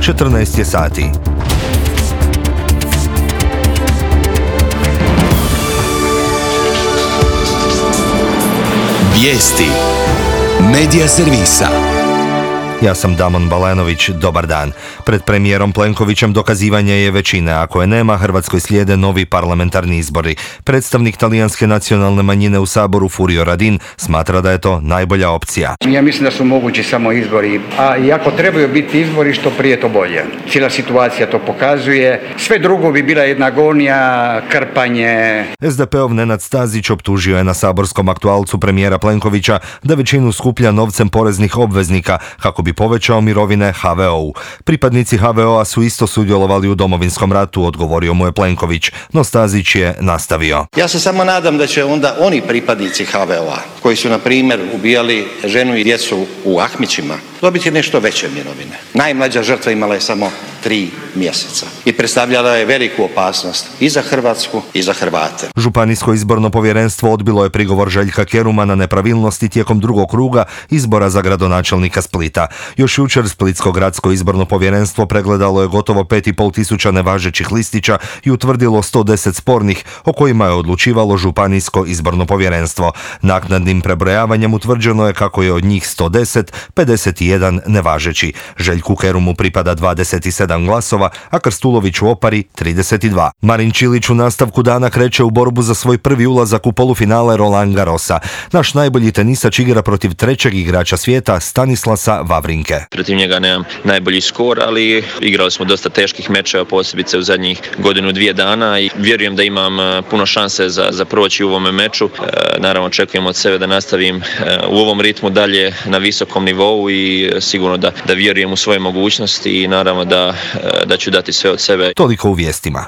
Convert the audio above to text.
14 je sati. Vijesti Medija servisa. Ja sam Damon Balenović, dobar dan. Pred premijerom Plenkovićem dokazivanje je većine. Ako je nema, Hrvatskoj slijede novi parlamentarni izbori. Predstavnik talijanske nacionalne manjine u Saboru Furio Radin smatra da je to najbolja opcija. Ja mislim da su mogući samo izbori, a i ako trebaju biti izbori, što prije to bolje. Cijela situacija to pokazuje. Sve drugo bi bila jedna agonija, krpanje. SDP-ov Nenad Stazić optužio je na saborskom aktualcu premijera Plenkovića da većinu skuplja novcem poreznih obveznika kako bi povećao mirovine HVO-u. Pripadnici HVO-a su isto sudjelovali u Domovinskom ratu, odgovorio mu je Plenković, no Stazić je nastavio. Ja se samo nadam da će onda oni pripadnici HVO-a, koji su na primjer ubijali ženu i djecu u Ahmićima, dobiti nešto veće mirovine. Najmlađa žrtva imala je samo 3 mjeseca i predstavljala je veliku opasnost i za Hrvatsku i za Hrvate. Županijsko izborno povjerenstvo odbilo je prigovor Željka Keruma na nepravilnosti tijekom drugog kruga izbora za gradonačelnika Splita. Još jučer Splitsko gradsko izborno povjerenstvo pregledalo je gotovo 5,5 tisuća nevažećih listića i utvrdilo 110 spornih o kojima je odlučivalo Županijsko izborno povjerenstvo. Naknadnim prebrojavanjem utvrđeno je kako je od njih 110, 51 nevažeći. Željku Kerumu pripada 27 glasova, a Krstuloviću Opari 32. Marin Čilić u nastavku dana kreće u borbu za svoj prvi ulazak u polufinale Roland Garrosa. Naš najbolji tenisač igra protiv trećeg igrača svijeta Stanislasa Wawrinke. Protiv njega nemam najbolji skor, ali igrali smo dosta teških mečeva, posebice u zadnjih 1-2 dana i vjerujem da imam puno šanse za proći u ovome meču. Naravno očekujem od sebe da nastavim u ovom ritmu dalje na visokom nivou i sigurno da vjerujem u svoje mogućnosti i naravno da ću dati sve od sebe. Toliko u vijestima.